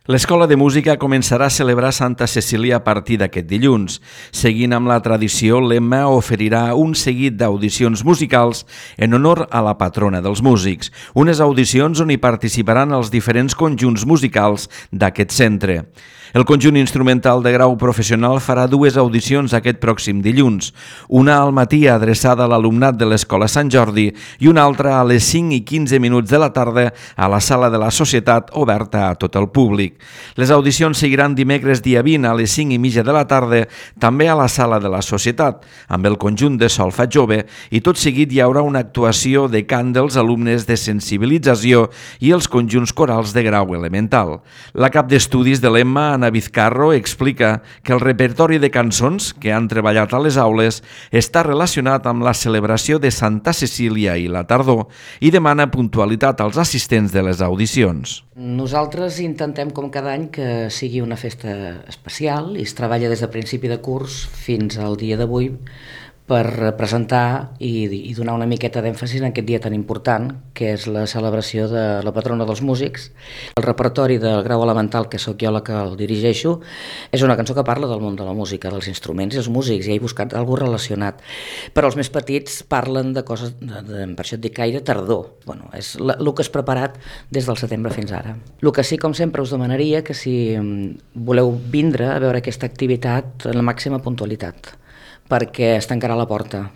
L'Escola de Música començarà a celebrar Santa Cecília a partir d'aquest dilluns. Seguint amb la tradició, l'Emma oferirà un seguit d'audicions musicals en honor a la patrona dels músics. Unes audicions on hi participaran els diferents conjunts musicals d'aquest centre. El conjunt instrumental de grau professional farà dues audicions aquest pròxim dilluns, una al matí adreçada a l'alumnat de l'Escola Sant Jordi i una altra a les 5:15 de la tarda a la Sala de la Societat oberta a tot el públic. Les audicions seguiran dimecres dia 20 a les 5:30 de la tarda, també a la Sala de la Societat, amb el conjunt de solfa jove, i tot seguit hi haurà una actuació de cant dels alumnes de sensibilització i els conjunts corals de grau elemental. La cap d'estudis de l'Emma, Ana Vizcarro, explica que el repertori de cançons que han treballat a les aules està relacionat amb la celebració de Santa Cecília i la tardor i demana puntualitat als assistents de les audicions. Nosaltres intentem, com cada any, que sigui una festa especial i es treballa des de principi de curs fins al dia d'avui per presentar i donar una miqueta d'èmfasi en aquest dia tan important, que és la celebració de la patrona dels músics. El repertori del grau elemental, que sóc jo la que el dirigeixo, és una cançó que parla del món de la música, dels instruments i els músics, i he buscat alguna relacionat. Però els més petits parlen de coses, per això et dic gaire tardor. Bueno, és el que és preparat des del setembre fins ara. El que sí, com sempre, us demanaria que si voleu vindre a veure aquesta activitat en la màxima puntualitat, perquè es tancarà la porta.